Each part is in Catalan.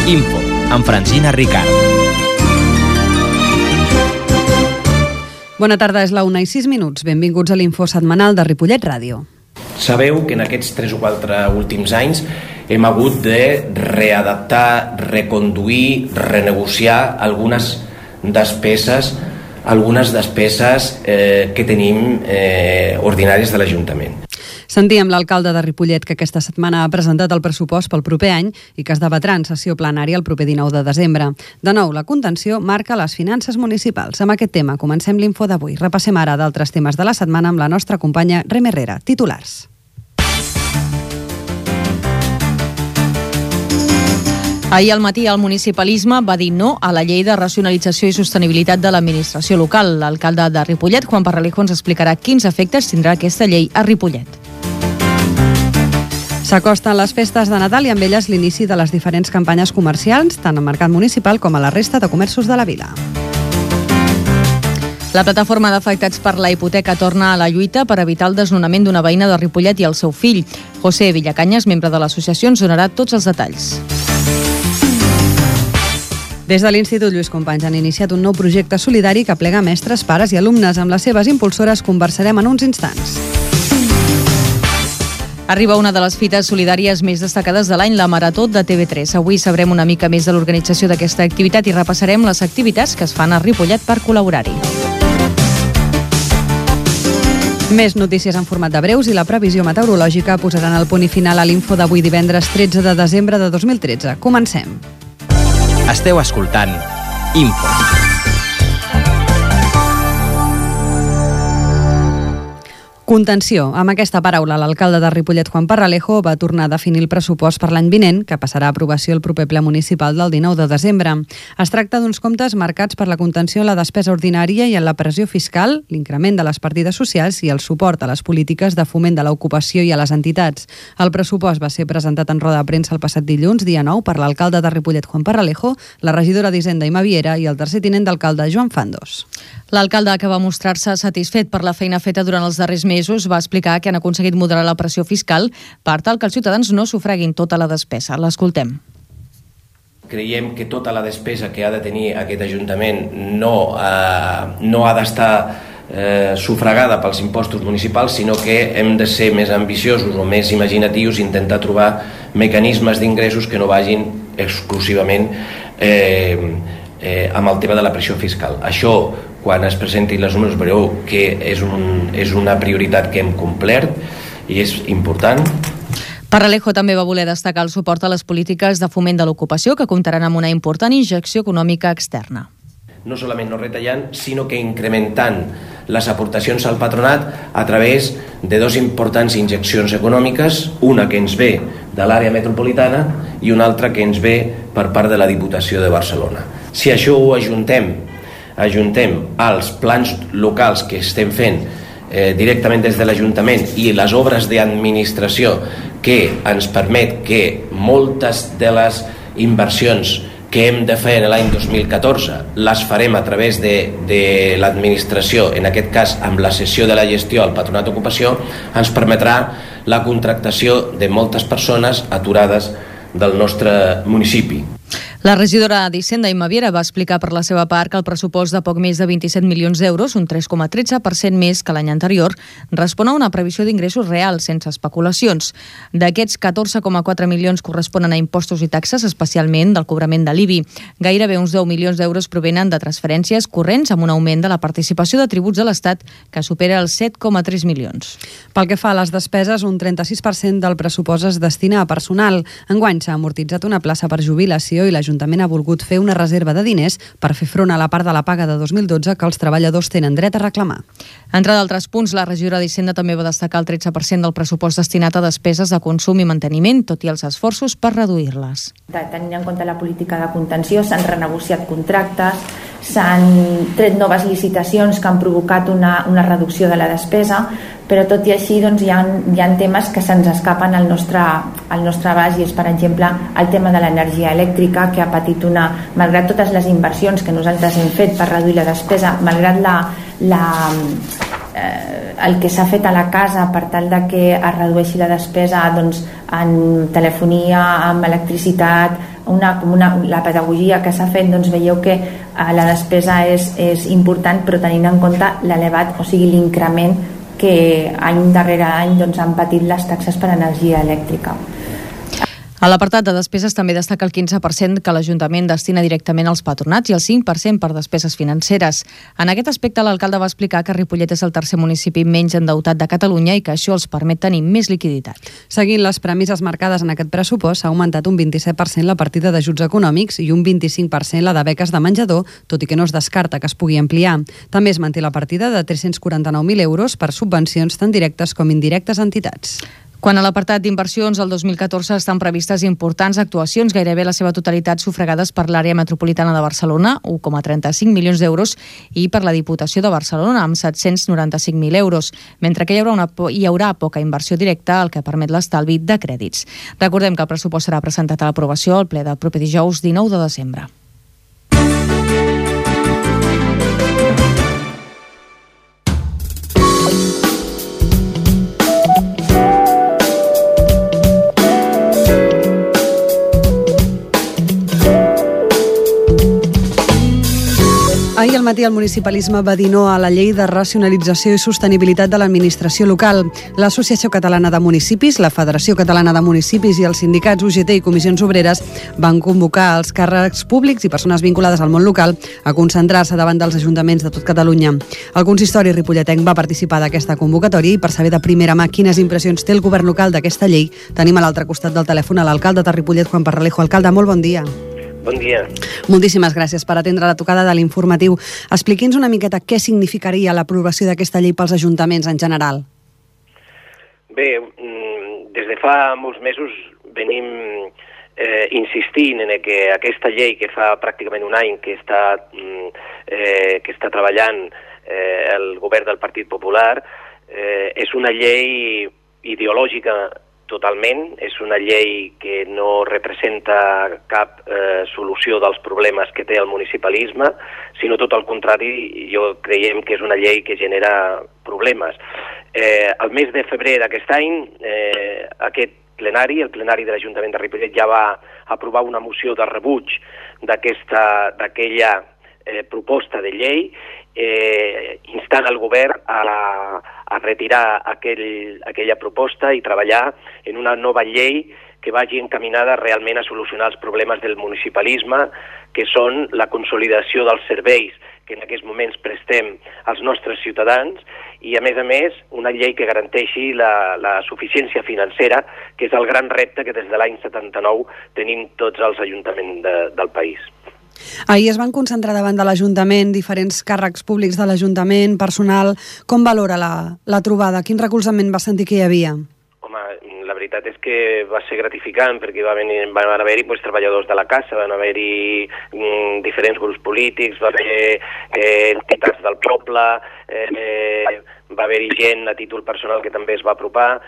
Info, amb Francina Ricard. Bona tarda, és la 1:06. Benvinguts a l'Info setmanal de Ripollet Ràdio. Sabeu que en aquests 3 o 4 últims anys hem hagut de readaptar, reconduir, renegociar algunes despeses que tenim ordinàries de l'Ajuntament. Sentíem l'alcalde de Ripollet que aquesta setmana ha presentat el pressupost pel proper any i que es debatrà en sessió plenària el proper 19 de desembre. De nou, la contenció marca les finances municipals. Amb aquest tema comencem l'Info d'avui. Repassem ara d'altres temes de la setmana amb la nostra companya Rem Herrera. Titulars. Ahir al matí el municipalisme va dir no a la llei de racionalització i sostenibilitat de l'administració local. L'alcalde de Ripollet, Juan Parralejo, ens explicarà quins efectes tindrà aquesta llei a Ripollet. S'acosten les festes de Nadal i amb elles l'inici de les diferents campanyes comercials, tant al mercat municipal com a la resta de comerços de la vila. La plataforma d'afectats per la hipoteca torna a la lluita per evitar el desnonament d'una veïna de Ripollet i el seu fill. José Villacanyes, membre de l'associació, ens donarà tots els detalls. Des de l'Institut Lluís Companys han iniciat un nou projecte solidari que aplega mestres, pares i alumnes. Amb les seves impulsores conversarem en uns instants. Arriba una de les fites solidàries més destacades de l'any, la Marató de TV3. Avui sabrem una mica més de l'organització d'aquesta activitat i repassarem les activitats que es fan a Ripollet per col·laborar-hi. Més notícies en format de breus i la previsió meteorològica posaran el punt i final a l'Info d'avui divendres 13 de desembre de 2013. Comencem. Esteu escoltant Info. Contenció. Amb aquesta paraula, l'alcalde de Ripollet, Juan Parralejo, va tornar a definir el pressupost per l'any vinent, que passarà a aprovació el proper ple municipal del 19 de desembre. Es tracta d'uns comptes marcats per la contenció en la despesa ordinària i en la pressió fiscal, l'increment de les partides socials i el suport a les polítiques de foment de l'ocupació i a les entitats. El pressupost va ser presentat en roda de premsa el passat dilluns, dia 9, per l'alcalde de Ripollet, Juan Parralejo, la regidora d'Hisenda, Imma Viera, i el tercer tinent d'alcalde, Joan Fandos. L'alcalde, que va mostrar-se satisfet per la feina feta durant els darrers mesos, va explicar que han aconseguit moderar la pressió fiscal per tal que els ciutadans no sufraguin tota la despesa. L'escoltem. Creiem que tota la despesa que ha de tenir aquest Ajuntament no ha d'estar sufragada pels impostos municipals, sinó que hem de ser més ambiciosos o més imaginatius i intentar trobar mecanismes d'ingressos que no vagin exclusivament amb el tema de la pressió fiscal. Això, quan es presentin les números, veureu que és una prioritat que hem complert i és important. Parralejo també va voler destacar el suport a les polítiques de foment de l'ocupació, que comptaran amb una important injecció econòmica externa. No solament no retallant, sinó que incrementant les aportacions al patronat a través de 2 importants injeccions econòmiques, una que ens ve de l'àrea metropolitana i una altra que ens ve per part de la Diputació de Barcelona. Si això ho ajuntem als plans locals que estem fent directament des de l'Ajuntament i les obres d'administració que ens permet que moltes de les inversions que hem de fer en l'any 2014 les farem a través de l'administració, en aquest cas amb la cessió de la gestió al Patronat d'Ocupació, ens permetrà la contractació de moltes persones aturades del nostre municipi. La regidora d'Hisenda, Imma Viera, va explicar per la seva part que el pressupost de poc més de 27 milions d'euros, un 3,13% més que l'any anterior, respon a una previsió d'ingressos reals, sense especulacions. D'aquests, 14,4 milions corresponen a impostos i taxes, especialment del cobrament de l'IBI. Gairebé uns 10 milions d'euros provenen de transferències corrents amb un augment de la participació de tributs de l'Estat que supera els 7,3 milions. Pel que fa a les despeses, un 36% del pressupost es destina a personal. Enguany s'ha amortitzat una plaça per jubilació i l'Ajuntament ha volgut fer una reserva de diners per fer front a la part de la paga de 2012 que els treballadors tenen dret a reclamar. Entre d'altres punts, la regidora d'Hisenda també va destacar el 13% del pressupost destinat a despeses de consum i manteniment, tot i els esforços per reduir-les. Tenint en compte la política de contenció, s'han renegociat contractes, s'han tret noves licitacions que han provocat una reducció de la despesa, però tot i així doncs, hi ha temes que se'ns escapen al nostre abast, i és, per exemple, el tema de l'energia elèctrica, que ha patit malgrat totes les inversions que nosaltres hem fet per reduir la despesa, malgrat el que s'ha fet a la casa per tal de que es redueixi la despesa doncs, en telefonia, en electricitat, la pedagogia que s'ha fet, doncs veieu que la despesa és important, però tenint en compte l'elevat, o sigui l'increment que any darrere any doncs, han patit les taxes per energia elèctrica. A l'apartat de despeses també destaca el 15% que l'Ajuntament destina directament als patronats i el 5% per despeses financeres. En aquest aspecte, l'alcalde va explicar que Ripollet és el tercer municipi menys endeutat de Catalunya i que això els permet tenir més liquiditat. Seguint les premisses marcades en aquest pressupost, s'ha augmentat un 27% la partida d'ajuts econòmics i un 25% la de beques de menjador, tot i que no es descarta que es pugui ampliar. També es manté la partida de 349.000 euros per subvencions tant directes com indirectes a entitats. Quan a l'apartat d'inversions, el 2014 estan previstes importants actuacions, gairebé la seva totalitat sufragades per l'àrea metropolitana de Barcelona, 1,35 milions d'euros, i per la Diputació de Barcelona, amb 795.000 euros, mentre que hi haurà poca inversió directa, el que permet l'estalvi de crèdits. Recordem que el pressupost serà presentat a l'aprovació al ple del proper dijous 19 de desembre. Ahir al matí el municipalisme va dir no a la llei de racionalització i sostenibilitat de l'administració local. L'Associació Catalana de Municipis, la Federació Catalana de Municipis i els sindicats UGT i Comissions Obreres van convocar els càrrecs públics i persones vinculades al món local a concentrar-se davant dels ajuntaments de tot Catalunya. El consistori ripolletenc va participar d'aquesta convocatòria i per saber de primera mà quines impressions té el govern local d'aquesta llei, tenim a l'altre costat del telèfon a l'alcalde de Ripollet, Juan Parralejo. Alcalde, molt bon dia. Bon dia. Moltíssimes gràcies per atendre la trucada de l'informatiu. Expliqui'ns una miqueta què significaria l'aprovació d'aquesta llei pels ajuntaments en general. Bé, des de fa molts mesos venim insistint en que aquesta llei, que fa pràcticament un any que està treballant el govern del Partit Popular, és una llei ideològica totalment, és una llei que no representa cap solució dels problemes que té el municipalisme, sinó tot el contrari, jo creiem que és una llei que genera problemes. El mes de febrer d'aquest any, aquest plenari, el plenari de l'Ajuntament de Ripollet, ja va aprovar una moció de rebuig d'aquella proposta de llei, instant el govern a retirar aquella proposta i treballar en una nova llei que vagi encaminada realment a solucionar els problemes del municipalisme, que són la consolidació dels serveis que en aquests moments prestem als nostres ciutadans i, a més, una llei que garanteixi la suficiència financera, que és el gran repte que des de l'any 79 tenim tots els ajuntaments del país. Ahir es van concentrar davant de l'Ajuntament diferents càrrecs públics de l'Ajuntament, personal. Com valora la trobada? Quin recolzament va sentir que hi havia? Home, la veritat és que va ser gratificant perquè van haver-hi treballadors de la casa, van haver-hi diferents grups polítics, va haver entitats del poble, va haver-hi gent a títol personal que també es va apropar.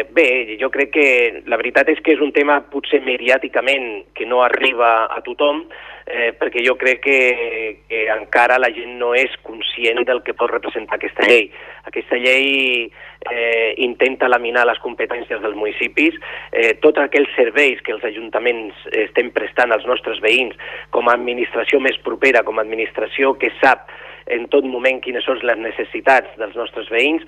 Bé, jo crec que la veritat és que és un tema potser mediàticament que no arriba a tothom, perquè jo crec que encara la gent no és conscient del que pot representar aquesta llei. Aquesta llei intenta laminar les competències dels municipis, tots aquells serveis que els ajuntaments estem prestant als nostres veïns com a administració més propera, com a administració que sap en tot moment quines són les necessitats dels nostres veïns,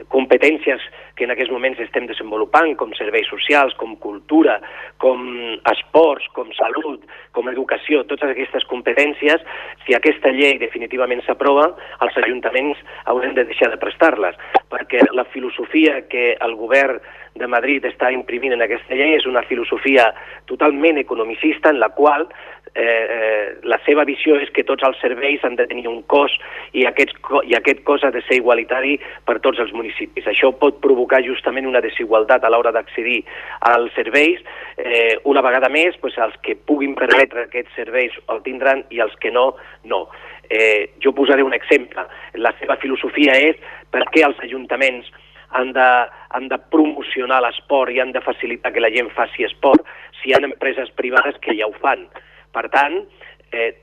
competències que en aquests moments estem desenvolupant, com serveis socials, com cultura, com esports, com salut, com educació, totes aquestes competències, si aquesta llei definitivament s'aprova, els ajuntaments haurem de deixar de prestar-les, perquè la filosofia que el govern de Madrid està imprimint en aquesta llei és una filosofia totalment economicista en la qual la seva visió és que tots els serveis han de tenir un cost i aquest cost ha de ser igualitari per tots els municipis. Això pot provocar justament una desigualtat a l'hora d'accedir als serveis. Una vegada més, els que puguin permetre aquests serveis el tindran i els que no, no. Jo posaré un exemple. La seva filosofia és per què els ajuntaments han de promocionar l'esport i han de facilitar que la gent faci esport si hi ha empreses privades que ja ho fan. Per tant,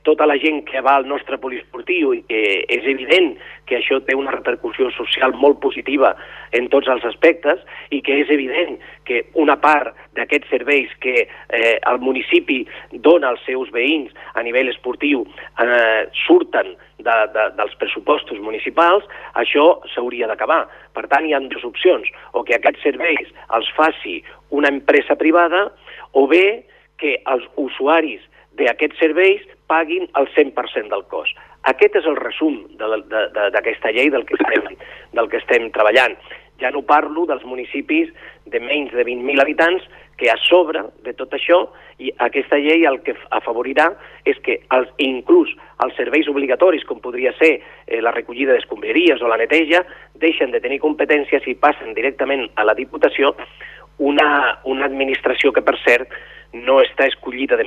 tota la gent que va al nostre poliesportiu, i que és evident que això té una repercussió social molt positiva en tots els aspectes i que és evident que una part d'aquests serveis que el municipi dona als seus veïns a nivell esportiu surten dels pressupostos municipals, això s'hauria d'acabar. Per tant, hi ha dues opcions, o que aquests serveis els faci una empresa privada o bé que els usuaris d'aquests serveis paguin el 100% del cost. Aquest és el resum d'aquesta llei del que estem treballant. Ja no parlo dels municipis de menys de 20.000 habitants, que a sobre de tot això, i aquesta llei el que afavorirà és que inclús els serveis obligatoris, com podria ser la recollida d'escombraries o la neteja, deixen de tenir competències i passen directament a la Diputació, una administració que, per cert, no està escollida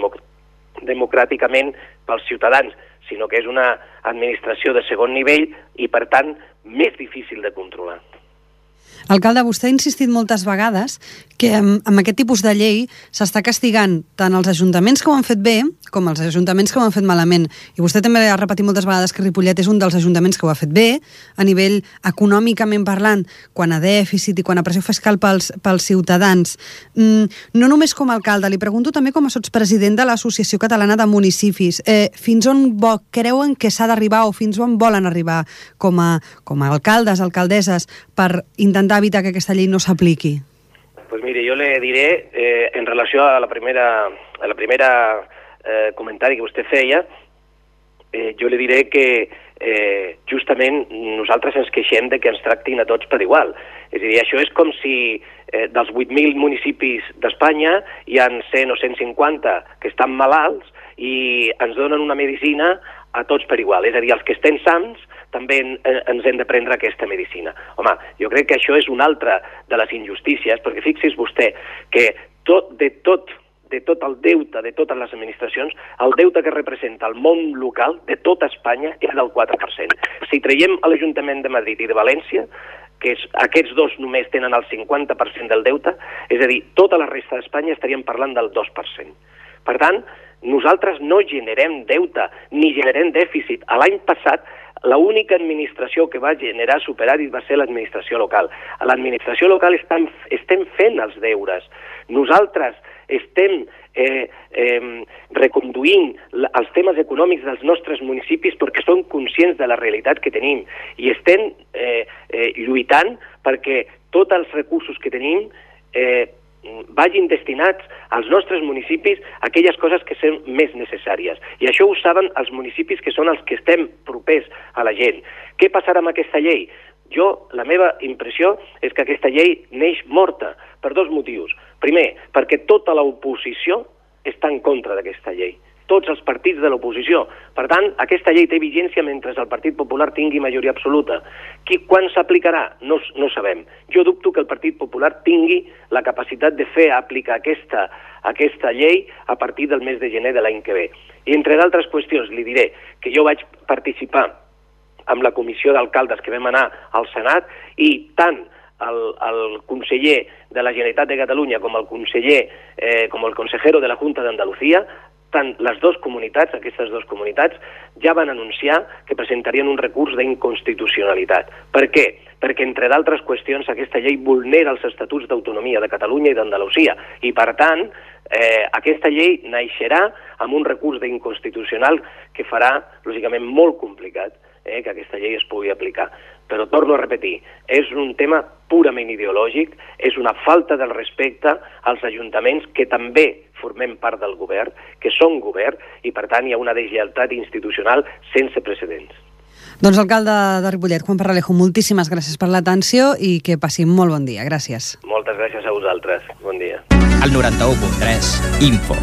democràticament pels ciutadans, sinó que és una administració de segon nivell i, per tant, més difícil de controlar. Alcalde, vostè ha insistit moltes vegades que amb aquest tipus de llei s'està castigant tant els ajuntaments que ho han fet bé com els ajuntaments que ho han fet malament. I vostè també ha repetit moltes vegades que Ripollet és un dels ajuntaments que ho ha fet bé, a nivell econòmicament parlant, quan a dèficit i quan a pressió fiscal pels ciutadans. No només com a alcalde, li pregunto també com a sotspresident de l'Associació Catalana de Municipis. Fins on creuen que s'ha d'arribar o fins on volen arribar com a alcaldes, alcaldesses, per intentar evitar que aquesta llei no s'apliqui? Pues mire, yo le diré, en relació a la primera comentari que vostè feia, jo le diré que justament nosaltres ens queixem de que ens tractin a tots per igual. És a dir, això és com si dels 8.000 municipis d'Espanya hi ha 100 o 150 que estan malalts i ens donen una medicina a tots per igual. És a dir, els que estem sans també ens hem de prendre aquesta medicina. Home, jo crec que això és una altra de les injustícies, perquè fixi's vostè que de tot el deute de totes les administracions, el deute que representa el món local de tota Espanya és del 4%. Si traiem a l'Ajuntament de Madrid i de València, que aquests dos només tenen el 50% del deute, és a dir, tota la resta d'Espanya estaríem parlant del 2%. Per tant, nosaltres no generem deute ni generem dèficit. L'any passat, l'única administració que va generar superàvit va ser l'administració local. A l'administració local estem fent els deures. Nosaltres estem reconduint els temes econòmics dels nostres municipis perquè som conscients de la realitat que tenim i estem lluitant perquè tots els recursos que tenim vagin destinats als nostres municipis a aquelles coses que són més necessàries. I això ho saben els municipis que són els que estem propers a la gent. Què passarà amb aquesta llei? La meva impressió és que aquesta llei neix morta per dos motius. Primer, perquè tota l'oposició està en contra d'aquesta llei. Tots els partits de l'oposició. Per tant, aquesta llei té vigència mentre el Partit Popular tingui majoria absoluta. Quan s'aplicarà? No sabem. Jo dubto que el Partit Popular tingui la capacitat de fer aplicar aquesta llei a partir del mes de gener de l'any que ve. I entre d'altres qüestions li diré que jo vaig participar amb la comissió d'alcaldes que vam anar al Senat i tant el conseller de la Generalitat de Catalunya com el consejero de la Junta d'Andalucía, tant les dues comunitats, aquestes dues comunitats, ja van anunciar que presentarien un recurs d'inconstitucionalitat. Per què? Perquè, entre d'altres qüestions, aquesta llei vulnera els estatuts d'autonomia de Catalunya i d'Andalusia. I, per tant, aquesta llei naixerà amb un recurs d'inconstitucional que farà, lògicament, molt complicat que aquesta llei es pugui aplicar. Però torno a repetir, és un tema purament ideològic, és una falta del respecte als ajuntaments que també formem part del govern, que són govern, i per tant hi ha una deslleialtat institucional sense precedents. Doncs alcalde de Ripollet, Juan Parralejo, moltíssimes gràcies per l'atenció i que passi molt bon dia. Gràcies. Moltes gràcies a vosaltres. Bon dia. El 91.3, Info.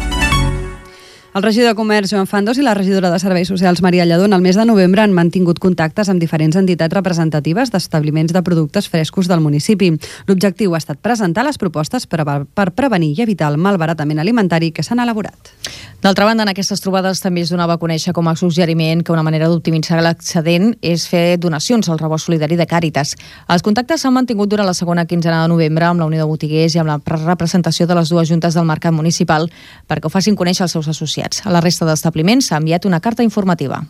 El regidor de Comerç, Joan Fandos, i la regidora de Serveis Socials, Maria Lledó, en el mes de novembre han mantingut contactes amb diferents entitats representatives d'establiments de productes frescos del municipi. L'objectiu ha estat presentar les propostes per prevenir i evitar el malbaratament alimentari que s'han elaborat. D'altra banda, en aquestes trobades també es donava a conèixer com a suggeriment que una manera d'optimitzar l'excedent és fer donacions al rebost solidari de Càritas. Els contactes s'han mantingut durant la segona quinzena de novembre amb la Unió de Botiguers i amb la representació de les dues juntes del mercat municipal perquè ho facin conèixer als seus associats. A la resta d'establiments s'ha enviat una carta informativa.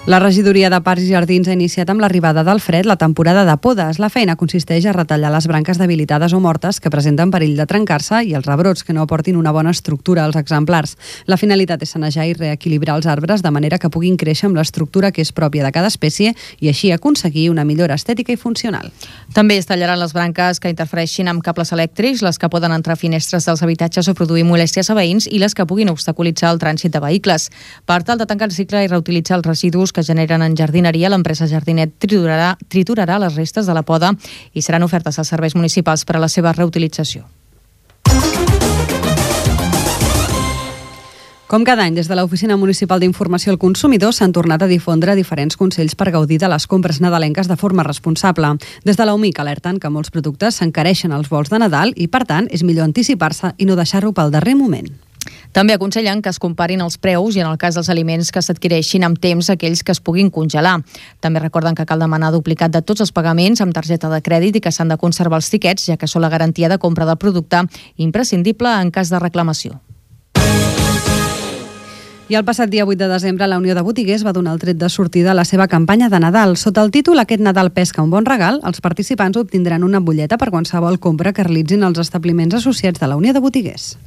La regidoria de Parcs i Jardins ha iniciat amb l'arribada del fred la temporada de podes. La feina consisteix a retallar les branques debilitades o mortes que presenten perill de trencar-se i els rebrots que no aportin una bona estructura als exemplars. La finalitat és sanejar i reequilibrar els arbres de manera que puguin créixer amb l'estructura que és pròpia de cada espècie i així aconseguir una millora estètica i funcional. També es tallaran les branques que interfereixin amb cables elèctrics, les que poden entrar a finestres dels habitatges o produir molèsties a veïns i les que puguin obstaculitzar el trànsit de vehicles. Per tal de tancar el cicle i reutilitzar els residus que generen en jardineria, l'empresa Jardinet triturarà les restes de la poda i seran ofertes als serveis municipals per a la seva reutilització. Com cada any, des de l'Oficina Municipal d'Informació al Consumidor s'han tornat a difondre diferents consells per gaudir de les compres nadalenques de forma responsable. Des de l'UMIC alerten que molts productes s'encareixen als vols de Nadal i, per tant, és millor anticipar-se i no deixar-ho pel darrer moment. També aconsellen que es comparin els preus i, en el cas dels aliments, que s'adquireixin amb temps aquells que es puguin congelar. També recorden que cal demanar duplicat de tots els pagaments amb targeta de crèdit i que s'han de conservar els tiquets, ja que són la garantia de compra del producte imprescindible en cas de reclamació. I el passat dia 8 de desembre la Unió de Botiguers va donar el tret de sortida a la seva campanya de Nadal. Sota el títol Aquest Nadal pesca un bon regal, els participants obtindran una butlleta per qualsevol compra que realitzin els establiments associats de la Unió de Botiguers.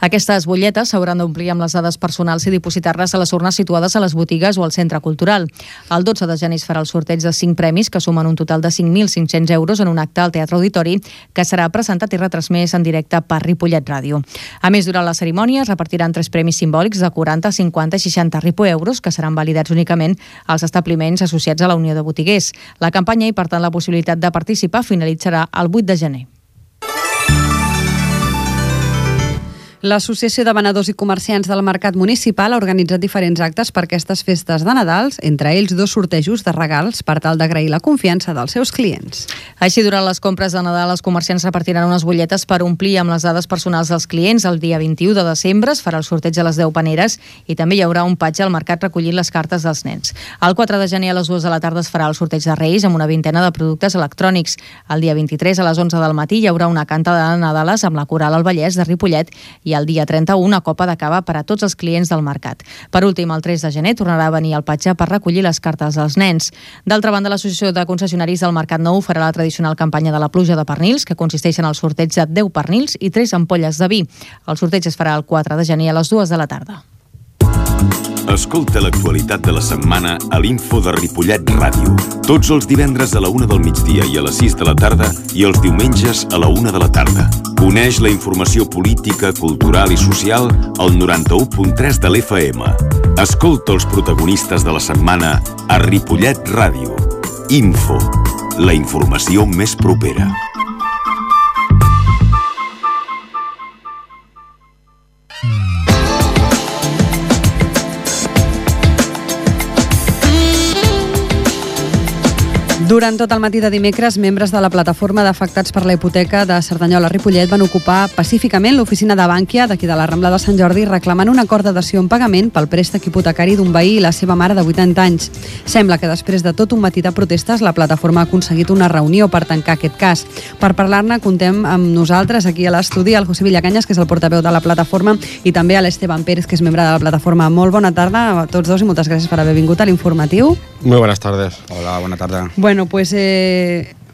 Aquestes butlletes s'hauran d'omplir amb les dades personals i dipositar-les a les urnes situades a les botigues o al centre cultural. El 12 de gener es farà el sorteig de 5 premis que sumen un total de 5.500 euros en un acte al Teatre Auditori que serà presentat i retransmès en directe per Ripollet Ràdio. A més, durant la cerimònia es repartiran 3 premis simbòlics de 40, 50 i 60 euros que seran validats únicament als establiments associats a la Unió de Botiguers. La campanya i, per tant, la possibilitat de participar finalitzarà el 8 de gener. L'Associació de Venedors i Comerciants del Mercat Municipal ha organitzat diferents actes per aquestes festes de Nadals, entre ells 2 sortejos de regals per tal d'agrair la confiança dels seus clients. Així, durant les compres de Nadal, els comerciants repartiran unes butlletes per omplir amb les dades personals dels clients. El dia 21 de desembre es farà el sorteig a les 10 paneres i també hi haurà un patge al mercat recollint les cartes dels nens. El 4 de gener a les 2 de la tarda es farà el sorteig de Reis amb una vintena de productes electrònics. El dia 23 a les 11 del matí hi haurà una canta de Nadales amb la Coral al Vallès de Ripollet i el dia 31 una copa de cava per a tots els clients del mercat. Per últim, el 3 de gener tornarà a venir el patge per recollir les cartes dels nens. D'altra banda, l'Associació de Concessionaris del Mercat Nou farà la tradicional campanya de la pluja de pernils, que consisteix en el sorteig de 10 pernils i 3 ampolles de vi. El sorteig es farà el 4 de gener a les 2 de la tarda. Escolta l'actualitat de la setmana a l'Info de Ripollet Ràdio. Tots els divendres a la 1 del migdia i a les 6 de la tarda i els diumenges a la 1 de la tarda. Coneix la informació política, cultural i social al 91.3 de l'FM. Escolta els protagonistes de la setmana a Ripollet Ràdio. Info, la informació més propera. Durant tot el matí de dimecres, membres de la plataforma d'afectats per la hipoteca de Cerdanyola-Ripollet van ocupar pacíficament l'oficina de Bànquia d'aquí de la Rambla de Sant Jordi reclamant un acord de dació en pagament pel préstec hipotecari d'un veí i la seva mare de 80 anys. Sembla que després de tot un matí de protestes, la plataforma ha aconseguit una reunió per tancar aquest cas. Per parlar-ne, contem amb nosaltres aquí a l'estudi el José Villacanyes, que és el portaveu de la plataforma, i també a l'Esteban Pérez, que és membre de la plataforma. Molt bona tarda a tots dos i moltes gràcies per haver vingut a l'informatiu. Muy buenas tardes. Hola, buena tarde. Bueno, pues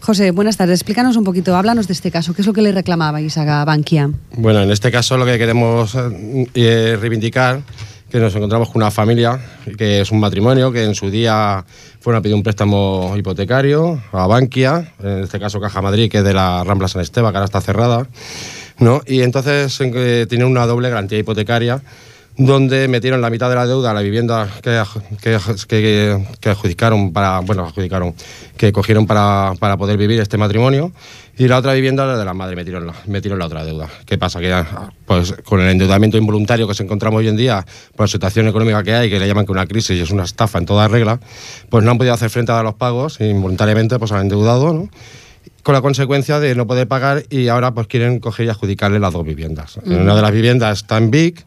José, buenas tardes. Explícanos un poquito, háblanos de este caso. ¿Qué es lo que le reclamabais a Bankia? Bueno, en este caso lo que queremos reivindicar que nos encontramos con una familia, que es un matrimonio, que en su día fueron a pedir un préstamo hipotecario a Bankia, en este caso Caja Madrid, que es de la Rambla San Esteban, que ahora está cerrada, ¿no? Y entonces tienen una doble garantía hipotecaria, donde metieron la mitad de la deuda a la vivienda que adjudicaron que cogieron para poder vivir este matrimonio, y la otra vivienda, la de la madre, metieron la otra deuda. ¿Qué pasa? Que pues con el endeudamiento involuntario que nos encontramos hoy en día, por la situación económica que hay, que le llaman que una crisis y es una estafa en toda regla, pues no han podido hacer frente a los pagos, involuntariamente pues han endeudado, ¿no? con la consecuencia de no poder pagar y ahora pues quieren coger y adjudicarle las 2 viviendas. Una de las viviendas está en Vic,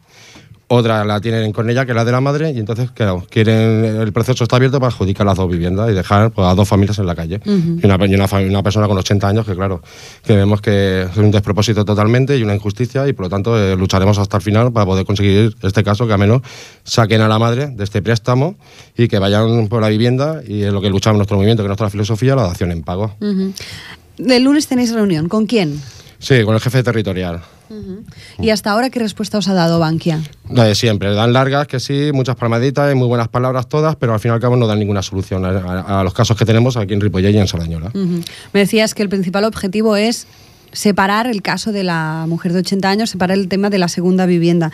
otra la tienen con ella, que es la de la madre, y entonces, claro, el proceso está abierto para adjudicar las 2 viviendas y dejar pues, a 2 familias en la calle. Y una persona con 80 años que, claro, que vemos que es un despropósito totalmente y una injusticia, y por lo tanto lucharemos hasta el final para poder conseguir este caso, que al menos saquen a la madre de este préstamo y que vayan por la vivienda, y es lo que luchamos nuestro movimiento, que es nuestra filosofía, la dación en pago. El lunes tenéis reunión. ¿Con quién? Sí, con el jefe territorial. ¿Y hasta ahora qué respuesta os ha dado Bankia? La de siempre, dan largas, que sí, muchas palmaditas y muy buenas palabras todas, pero al fin y al cabo no dan ninguna solución a los casos que tenemos aquí en Ripollet y en Sardañola. Me decías que el principal objetivo es separar el caso de la mujer de 80 años, separar el tema de la segunda vivienda.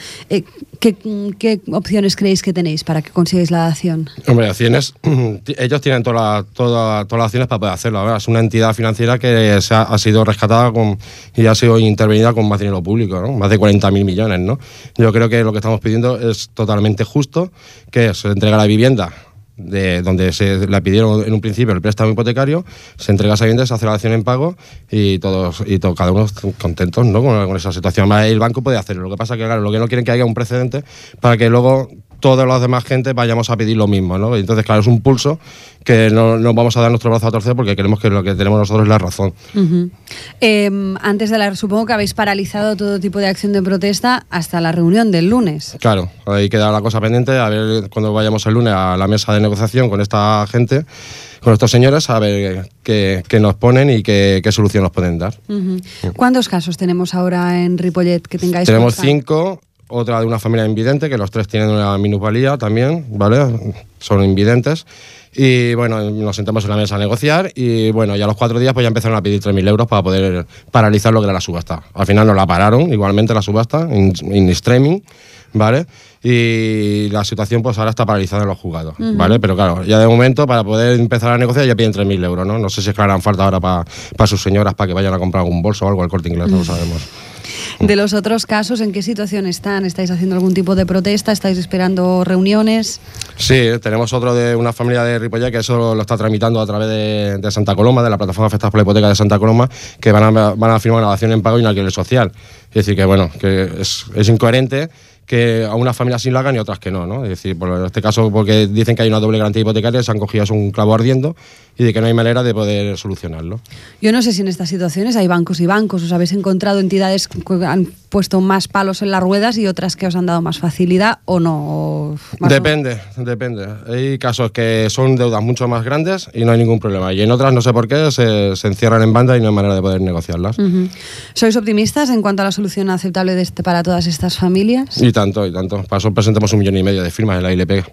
¿Qué opciones creéis que tenéis para que consigáis la dación? Hombre, acciones, ellos tienen todas las acciones para poder hacerlo. ¿Verdad? Es una entidad financiera que ha sido rescatada y ha sido intervenida con más dinero público, ¿no? Más de 40.000 millones, ¿no? Yo creo que lo que estamos pidiendo es totalmente justo, que se entrega la vivienda de donde se la pidieron en un principio el préstamo hipotecario, se entrega esa vivienda, se hace la dación en pago y cada uno contentos, ¿no? con esa situación. Además, el banco puede hacerlo. Lo que pasa es que, claro, lo que no quieren que haya un precedente para que luego todas las demás gente vayamos a pedir lo mismo, ¿no? Entonces, claro, es un pulso que no vamos a dar nuestro brazo a torcer porque creemos que lo que tenemos nosotros es la razón. Antes de supongo que habéis paralizado todo tipo de acción de protesta hasta la reunión del lunes. Claro, ahí queda la cosa pendiente, a ver cuando vayamos el lunes a la mesa de negociación con esta gente, con estos señores, a ver qué nos ponen y qué solución nos pueden dar. ¿Cuántos casos tenemos ahora en Ripollet que tengáis? Tenemos 5. Otra de una familia invidente, que los 3 tienen una minusvalía también, ¿vale? Son invidentes. Y bueno, nos sentamos en la mesa a negociar y bueno, ya a los 4 días pues ya empezaron a pedir 3.000 euros para poder paralizar lo que era la subasta. Al final nos la pararon, igualmente la subasta, en streaming, ¿vale? Y la situación pues ahora está paralizada en los juzgados, ¿vale? Pero claro, ya de momento para poder empezar a negociar ya piden 3.000 euros, ¿no? No sé si es que harán falta ahora para sus señoras para que vayan a comprar algún bolso o algo al Corte Inglés, no lo sabemos. De los otros casos, ¿en qué situación están? ¿Estáis haciendo algún tipo de protesta? ¿Estáis esperando reuniones? Sí, tenemos otro de una familia de Ripollet que eso lo está tramitando a través de Santa Coloma, de la plataforma Afectados por la Hipoteca de Santa Coloma, que van a firmar una dación en pago y un alquiler social. Es decir, que bueno, que es incoherente que a unas familias sí lo hagan y otras que no, ¿no? Es decir, en este caso, porque dicen que hay una doble garantía hipotecaria, se han cogido un clavo ardiendo y de que no hay manera de poder solucionarlo. Yo no sé si en estas situaciones hay bancos y bancos. ¿Os habéis encontrado entidades que han puesto más palos en las ruedas y otras que os han dado más facilidad o no? Depende. Hay casos que son deudas mucho más grandes y no hay ningún problema. Y en otras, no sé por qué, se encierran en banda y no hay manera de poder negociarlas. ¿Sois optimistas en cuanto a la solución aceptable para todas estas familias? Y tanto. Para eso presentamos 1,5 millones de firmas en la ILP.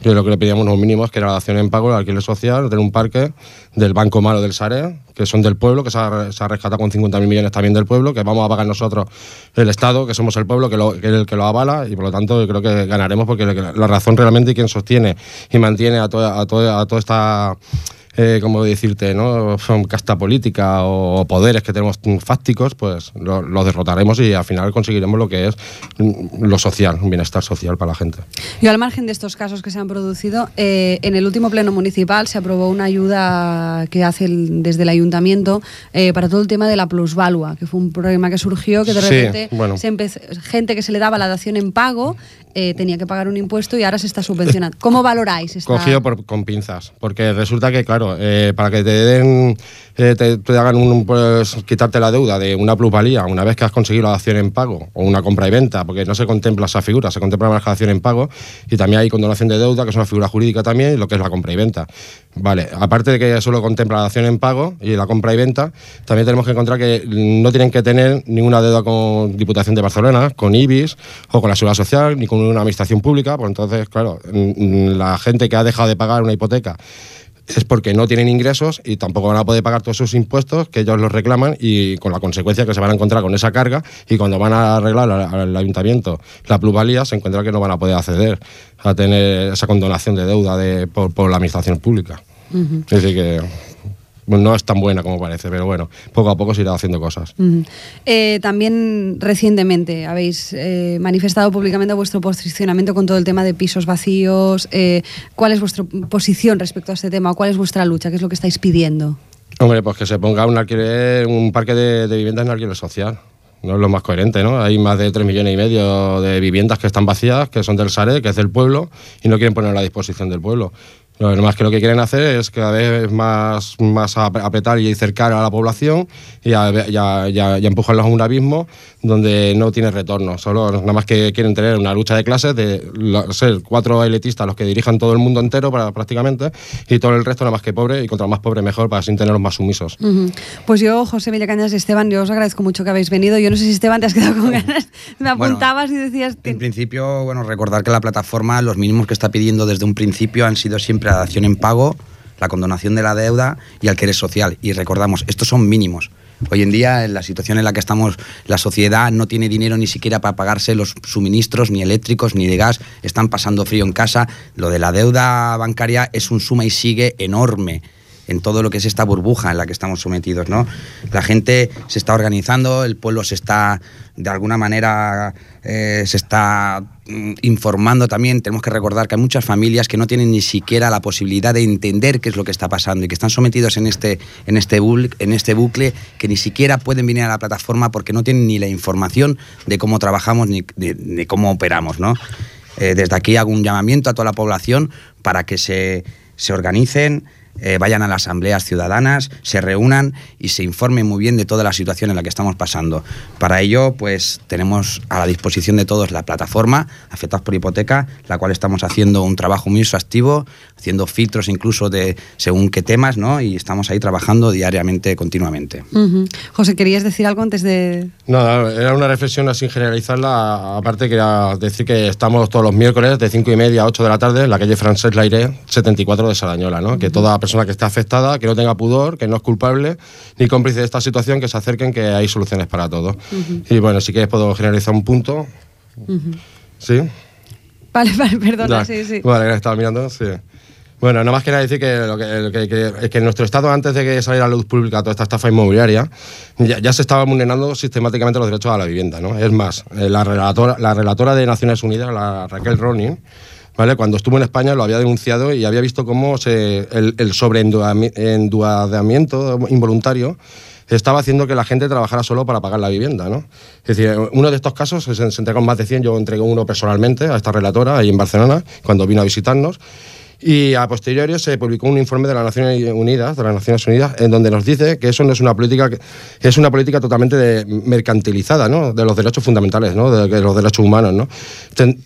Yo lo que le pedíamos unos mínimos, que era la dación en pago, el alquiler social, tener un parque del Banco Malo del Saré, que son del pueblo, que se ha rescatado con 50.000 millones también del pueblo, que vamos a pagar nosotros el Estado, que somos el pueblo, que es el que lo avala, y por lo tanto yo creo que ganaremos porque la razón realmente y quien sostiene y mantiene a toda esta... ¿cómo decirte, no? Casta política o poderes que tenemos fácticos, pues los derrotaremos y al final conseguiremos lo que es lo social, un bienestar social para la gente. Y al margen de estos casos que se han producido, en el último pleno municipal se aprobó una ayuda que hace desde el ayuntamiento para todo el tema de la plusvalua, que fue un problema que surgió, que de repente gente que se le daba la dación en pago tenía que pagar un impuesto y ahora se está subvencionando. ¿Cómo valoráis esta? Cogido con pinzas, porque resulta que, claro, para que te den, te hagan quitarte la deuda de una plusvalía una vez que has conseguido la dación en pago o una compra y venta, porque no se contempla esa figura, se contempla la dación en pago y también hay condonación de deuda, que es una figura jurídica también, y lo que es la compra y venta. Vale, aparte de que solo contempla la dación en pago y la compra y venta, también tenemos que encontrar que no tienen que tener ninguna deuda con Diputación de Barcelona, con IBIS o con la Seguridad Social, ni con una administración pública. Pues entonces, claro, la gente que ha dejado de pagar una hipoteca es porque no tienen ingresos y tampoco van a poder pagar todos esos impuestos que ellos los reclaman, y con la consecuencia que se van a encontrar con esa carga, y cuando van a arreglar al ayuntamiento la plusvalía se encuentra que no van a poder acceder a tener esa condonación de deuda por la administración pública. Es decir que no es tan buena como parece, pero bueno, poco a poco se irá haciendo cosas. También recientemente habéis manifestado públicamente vuestro posicionamiento con todo el tema de pisos vacíos. ¿Cuál es vuestra posición respecto a este tema? ¿Cuál es vuestra lucha? ¿Qué es lo que estáis pidiendo? Hombre, pues que se ponga un parque de viviendas en alquiler social. No es lo más coherente, ¿no? Hay más de 3,5 millones de viviendas que están vacías, que son del Sareb, que es del pueblo, y no quieren ponerlo a la disposición del pueblo. Lo más que lo que quieren hacer es cada vez más apretar y cercar a la población y ya empujarlos a un abismo donde no tiene retorno. Solo nada más que quieren tener una lucha de clases de ser 4 elitistas los que dirijan todo el mundo entero prácticamente, y todo el resto nada más que pobre, y contra más pobre mejor, para así tenerlos más sumisos. Pues yo, José Villacañas y Esteban, yo os agradezco mucho que habéis venido. Yo no sé si, Esteban, te has quedado con ganas. Me apuntabas y decías... En principio, recordar que la plataforma, los mínimos que está pidiendo desde un principio han sido siempre la dación en pago, la condonación de la deuda y alquiler social. Y recordamos, estos son mínimos. Hoy en día, en la situación en la que estamos, la sociedad no tiene dinero ni siquiera para pagarse los suministros, ni eléctricos, ni de gas. Están pasando frío en casa. Lo de la deuda bancaria es un suma y sigue enorme en todo lo que es esta burbuja en la que estamos sometidos, ¿no? La gente se está organizando, el pueblo se está, de alguna manera, se está informando también. Tenemos que recordar que hay muchas familias que no tienen ni siquiera la posibilidad de entender qué es lo que está pasando y que están sometidos en este bucle, que ni siquiera pueden venir a la plataforma porque no tienen ni la información de cómo trabajamos ni de cómo operamos, ¿no? Desde aquí hago un llamamiento a toda la población para que se organicen, vayan a las asambleas ciudadanas, se reúnan y se informen muy bien de toda la situación en la que estamos pasando. Para ello, pues tenemos a la disposición de todos la plataforma Afectados por Hipoteca, la cual estamos haciendo un trabajo muy exhaustivo, haciendo filtros incluso de según qué temas, ¿no? Y estamos ahí trabajando diariamente, continuamente. José, ¿querías decir algo antes de...? No, era una reflexión así generalizarla. Aparte quería decir que estamos todos los miércoles de 5:30 a 8 de la tarde en la calle Francesc Layret 74 de Sardañola, ¿no? Que toda persona que esté afectada, que no tenga pudor, que no es culpable ni cómplice de esta situación, que se acerquen, que hay soluciones para todo. Y bueno, si quieres puedo generalizar un punto. ¿Sí? Vale, perdona, sí. Vale, estaba mirando, sí. Bueno, nada más quería decir que en nuestro estado, antes de que saliera a la luz pública toda esta estafa inmobiliaria, ya se estaba vulnerando sistemáticamente los derechos a la vivienda, ¿no? Es más, la relatora de Naciones Unidas, la Raquel Ronin, ¿vale? Cuando estuvo en España lo había denunciado y había visto cómo el sobreendeudamiento involuntario estaba haciendo que la gente trabajara solo para pagar la vivienda, ¿no? Es decir, uno de estos casos se entregó más de 100, yo entregué uno personalmente a esta relatora ahí en Barcelona, cuando vino a visitarnos. Y a posteriori se publicó un informe de las Naciones Unidas, en donde nos dice que eso no es una política, es una política totalmente mercantilizada, ¿no? De los derechos fundamentales, ¿no? De los derechos humanos, ¿no?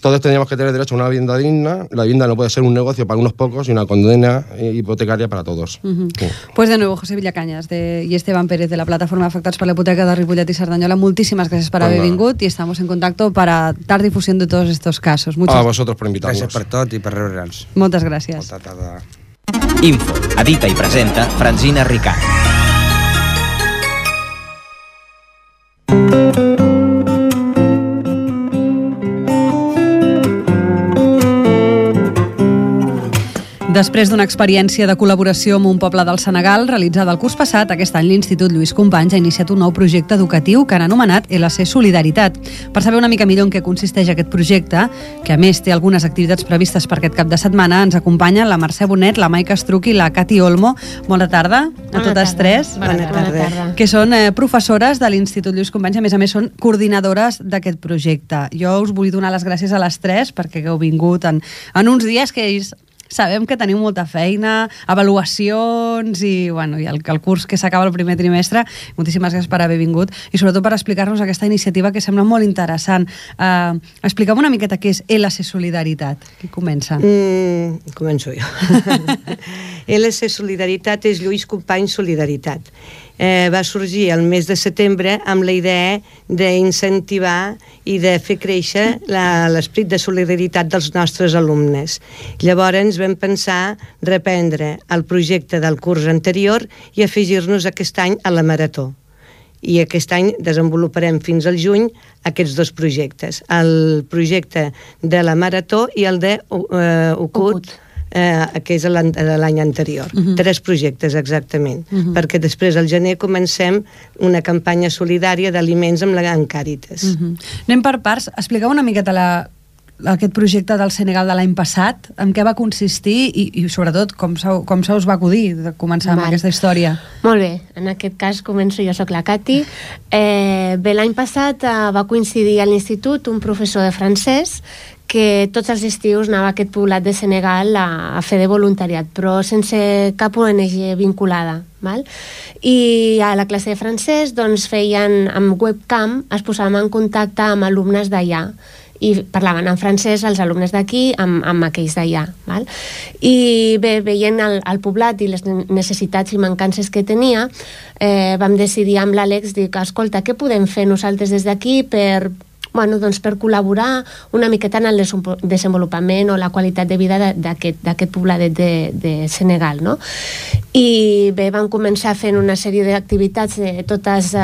Todos teníamos que tener derecho a una vivienda digna. La vivienda no puede ser un negocio para unos pocos y una condena hipotecaria para todos. Pues de nuevo, José Villacañas y Esteban Pérez de la plataforma Afectats per la Hipoteca de Ripollet y Sardañola, muchísimas gracias por haver vingut y estamos en contacto para dar difusión de todos estos casos. A vosotros por invitarnos. Gràcies per tot i per rebre'ns. Moltes gràcies. Molta tarda. Info, edita i presenta Francina Ricard. Després d'una experiència de col·laboració amb un poble del Senegal realitzada el curs passat, aquest any l'Institut Lluís Companys ha iniciat un nou projecte educatiu que han anomenat LC Solidaritat. Per saber una mica millor en què consisteix aquest projecte, que a més té algunes activitats previstes per aquest cap de setmana, ens acompanyen la Mercè Bonet, la Maica Estruc i la Cati Olmo. Bona tarda a totes tres. Bona tarda. Que són professores de l'Institut Lluís Companys, a més són coordinadores d'aquest projecte. Jo us vull donar les gràcies a les tres perquè heu vingut en uns dies que sabem que teniu molta feina, avaluacions i el curs que s'acaba el primer trimestre. Moltíssimes gràcies per haver vingut i sobretot per explicar-nos aquesta iniciativa que sembla molt interessant. Expliqueu una miqueta què és LC Solidaritat. Qui comença? Començo jo. LC Solidaritat és Lluís Companys Solidaritat. Va sorgir el mes de setembre amb la idea d'incentivar i de fer créixer l'esperit de solidaritat dels nostres alumnes. Llavors vam pensar reprendre el projecte del curs anterior i afegir-nos aquest any a la Marató. I aquest any desenvoluparem fins al juny aquests dos projectes, el projecte de la Marató i el de Ucut, que és l'any anterior. 3 projectes exactament, perquè després al gener comencem una campanya solidària d'aliments amb Càritas. Anem per parts. Expliqueu una miqueta aquest projecte del Senegal de l'any passat, en què va consistir i sobretot com se us va acudir de començar amb aquesta història? Molt bé, en aquest cas començo, jo sóc la Cati. Bé, l'any passat va coincidir a l'institut un professor de francès que tots els estius anava a aquest poblat de Senegal a fer de voluntariat, però sense cap ONG vinculada. Val? I a la classe de francès doncs, feien amb webcam, es posaven en contacte amb alumnes d'allà i parlaven en francès els alumnes d'aquí amb aquells d'allà. I bé, veient el poblat i les necessitats i mancances que tenia, vam decidir amb l'Àlex dir que, escolta, què podem fer nosaltres des d'aquí per col·laborar una miqueta en el desenvolupament o la qualitat de vida d'aquest pobladet de Senegal, no? I bé, vam començar fent una sèrie d'activitats totes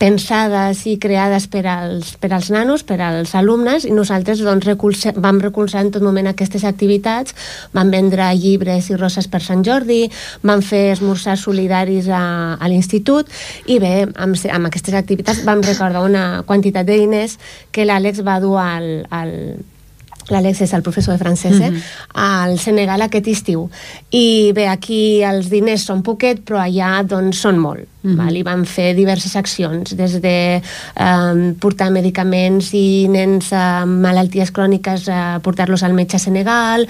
pensades i creades per als nanos, per als alumnes, i nosaltres vam recolzar en tot moment aquestes activitats, vam vendre llibres i roses per Sant Jordi, vam fer esmorzars solidaris a l'institut, i bé, amb aquestes activitats vam recordar una quantitat de diners que l'Àlex va dur l'Àlex és el professor de francès, al Senegal aquest estiu. I bé, aquí els diners són poquet, però allà doncs són molt. I van fer diverses accions, des de portar medicaments i nens amb malalties cròniques, portar-los al metge a Senegal,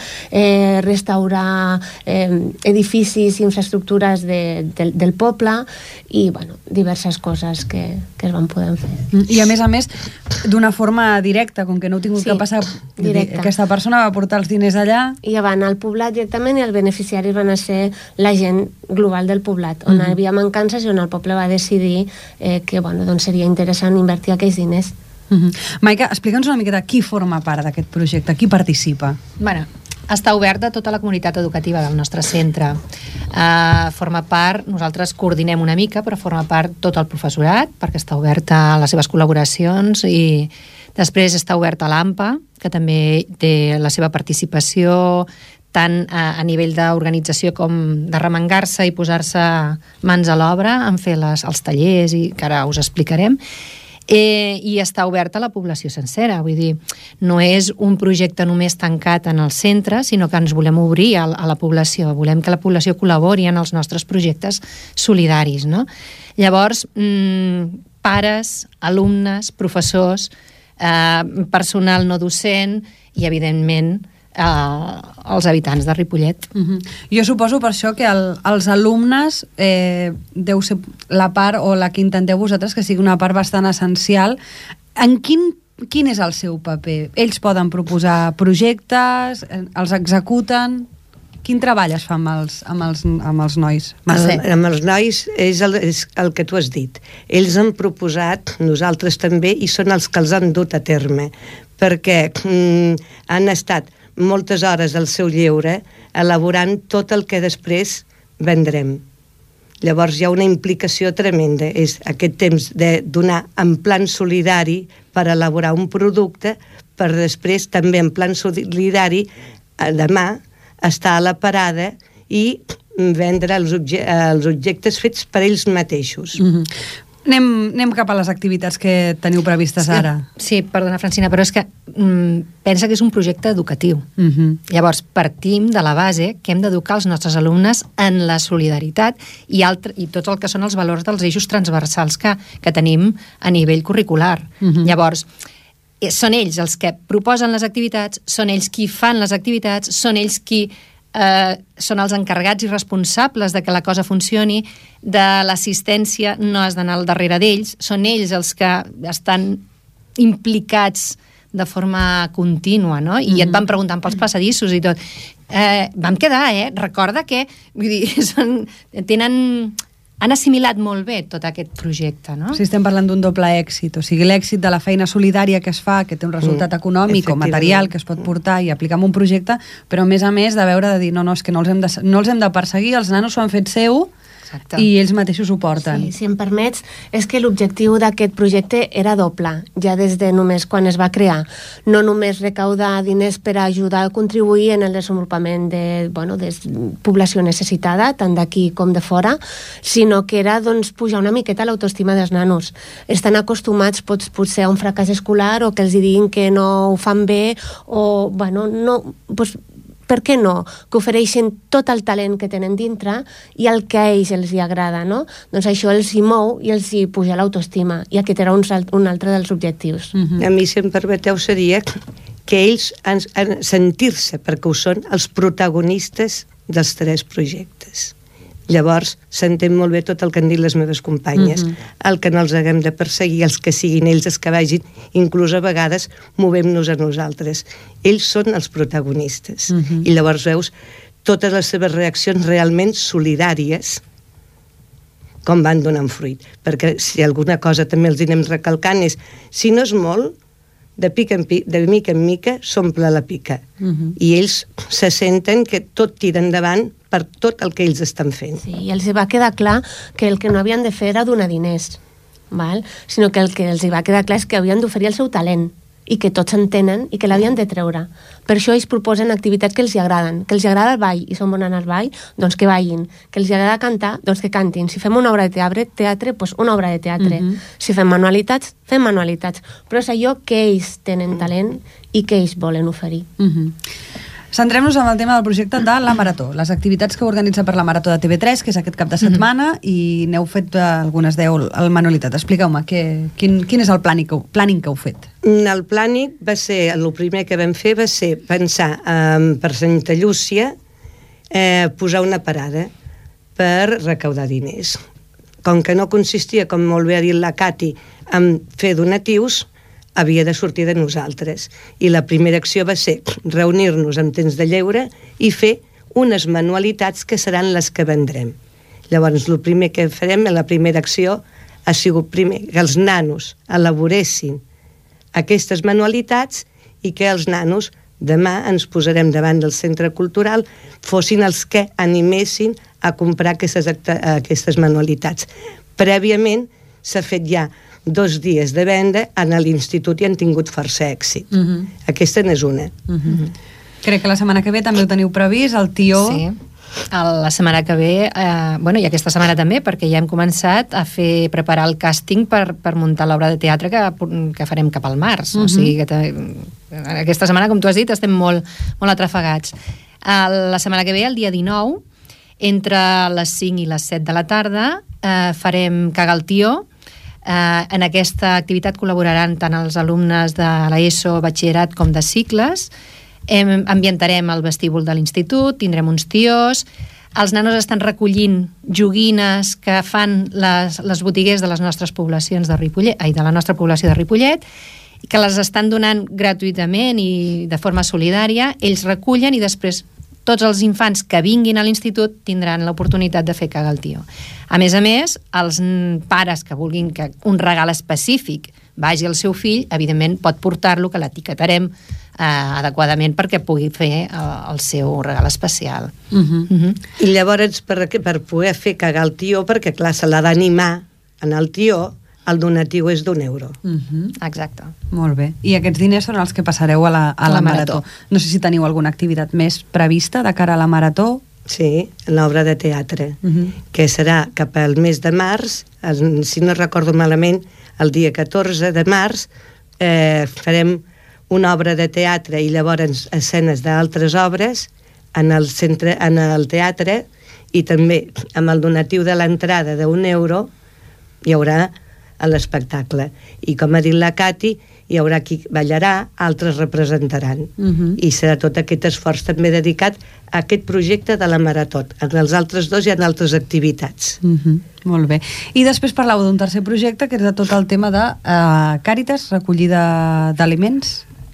restaurar edificis i infraestructures del poble, i diverses coses que es van poder fer. I a més, d'una forma directa, com que no heu tingut que passar, aquesta persona va portar els diners allà. I ja van al poblat directament, i els beneficiaris van ser la gent global del poblat, on hi havia mancances i on el poble va decidir que seria interessant invertir aquells diners. Maica, explica'ns una miqueta qui forma part d'aquest projecte, qui participa. Està obert a tota la comunitat educativa del nostre centre. Forma part, nosaltres coordinem una mica, però forma part tot el professorat, perquè està obert a les seves col·laboracions, i després està obert a l'AMPA, que també té la seva participació tant a nivell d'organització com de remengar-se i posar-se mans a l'obra en fer els tallers, i que ara us explicarem. I està obert a la població sencera, vull dir, no és un projecte només tancat en el centre, sinó que ens volem obrir a la població, volem que la població col·labori en els nostres projectes solidaris, no? Llavors, pares, alumnes, professors, personal no docent i, evidentment, els habitants de Ripollet. Jo suposo per això que els alumnes deu ser la part o la que intenteu vosaltres que sigui una part bastant essencial. En quin és el seu paper? Ells poden proposar projectes, els executen? Quin treball es fa amb els nois? Amb els nois és el que tu has dit. Ells han proposat, nosaltres també, i són els que els han dut a terme, perquè han estat moltes hores al seu lleure elaborant tot el que després vendrem. Llavors hi ha una implicació tremenda, és aquest temps de donar en plan solidari per elaborar un producte, per després també en plan solidari demà estar a la parada i vendre els objectes fets per ells mateixos. Anem cap a les activitats que teniu previstes ara. Sí, perdona, Francina, però és que pensa que és un projecte educatiu. Llavors, partim de la base que hem d'educar els nostres alumnes en la solidaritat i tot el que són els valors dels eixos transversals que tenim a nivell curricular. Llavors, són ells els que proposen les activitats, són ells qui fan les activitats, són ells qui són els encarregats i responsables de que la cosa funcioni, de l'assistència no has d'anar al darrere d'ells, són ells els que estan implicats de forma contínua, no? I et van preguntant pels passadissos i tot. Vam quedar, recorda que, vull dir, han assimilat molt bé tot aquest projecte, no? Sí, estem parlant d'un doble èxit, o sigui, l'èxit de la feina solidària que es fa, que té un resultat econòmic o material que es pot portar i aplicar en un projecte, però a més de veure de dir, no, és que no els hem de perseguir, els nanos s'ho han fet seu, i ells mateixos ho porten. Sí, si em permets, és que l'objectiu d'aquest projecte era doble, ja des de només quan es va crear. No només recaudar diners per ajudar a contribuir en el desenvolupament de població necessitada, tant d'aquí com de fora, sinó que era pujar una miqueta l'autoestima dels nanos. Estan acostumats potser a un fracàs escolar o que els diguin que no ho fan bé o, per què no? Que ofereixen tot el talent que tenen dintre i el que a ells els hi agrada, no? Doncs això els hi mou i els hi puja l'autoestima, i aquest era un altre dels objectius. A mi, si em permeteu, seria que ells sentir-se, perquè ho són, els protagonistes dels 3 projectes. Llavors, s'entén molt bé tot el que han dit les meves companyes, el que no els haguem de perseguir, els que siguin ells els que vagin, inclús a vegades movem-nos a nosaltres. Ells són els protagonistes. I llavors veus totes les seves reaccions realment solidàries, com van donant fruit. Perquè si alguna cosa també els anem recalcant és, si no és molt, de mica en mica s'omple la pica. I ells se senten que tot tira endavant per tot el que ells estan fent. Sí, i els va quedar clar que el que no havien de fer era donar diners, sinó que el que els va quedar clar és que havien d'oferir el seu talent i que tots entenen i que l'havien de treure. Per això ells proposen activitats que els agraden. Que els agrada el ball i són bons en el ball, doncs que ballin. Que els agrada cantar, doncs que cantin. Si fem una obra de teatre, doncs una obra de teatre. Si fem manualitats, fem manualitats. Però és allò que ells tenen talent i que ells volen oferir. Centrem-nos en el tema del projecte de la Marató, les activitats que organitza per la Marató de TV3, que és aquest cap de setmana, i n'heu fet algunes 10 al Manualitat. Expliqueu-me, quin és el planning que heu fet? El planning va ser, el primer que vam fer va ser pensar per Santa Llúcia posar una parada per recaudar diners. Com que no consistia, com molt bé ha dit la Cati, en fer donatius, havia de sortir de nosaltres. I la primera acció va ser reunir-nos en temps de lleure i fer unes manualitats que seran les que vendrem. Llavors, el primer que farem, la primera acció, ha sigut primer que els nanos elaboressin aquestes manualitats i que els nanos demà ens posarem davant del centre cultural, fossin els que animessin a comprar aquestes manualitats. Prèviament s'ha fet ja 2 dies de venda a l'institut i han tingut força èxit. Aquesta n'és una. Crec que la setmana que ve també ho teniu previst, el Tió... Sí, la setmana que ve, i aquesta setmana també, perquè ja hem començat a preparar el càsting per muntar l'obra de teatre que farem cap al març. O sigui que aquesta setmana, com tu has dit, estem molt atrafegats. La setmana que ve, el dia 19, entre les 5 i les 7 de la tarda, farem Caga el Tió. En aquesta activitat col·laboraran tant els alumnes de l'ESO, batxillerat com de cicles. Ambientarem el vestíbul de l'institut, tindrem uns tios. Els nanos estan recollint joguines que fan les botiguers de les nostres poblacions de Ripollet, de la nostra població de Ripollet, que les estan donant gratuïtament i de forma solidària. Ells recullen i després tots els infants que vinguin a l'institut tindran l'oportunitat de fer Caga el Tió. A més, els pares que vulguin que un regal específic vagi al seu fill, evidentment pot portar-lo, que l'etiquetarem adequadament perquè pugui fer el seu regal especial. I llavors, per poder fer Cagar el Tió, perquè clar, se l'ha d'animar en el tió, el donatiu és d'€1. Exacte. Molt bé. I aquests diners són els que passareu a la Marató. No sé si teniu alguna activitat més prevista de cara a la Marató. Sí, l'obra de teatre, que serà cap al mes de març, si no recordo malament, el dia 14 de març, farem una obra de teatre i llavors escenes d'altres obres en el teatre, i també amb el donatiu de l'entrada d'€1 hi haurà a l'espectacle. I com ha dit la Cati, hi haurà qui ballarà, altres representaran. I serà tot aquest esforç també dedicat a aquest projecte de la Marató. En els altres 2 hi ha altres activitats. Molt bé. I després parlàveu d'un tercer projecte, que és de tot el tema de Càritas, recollida d'aliments.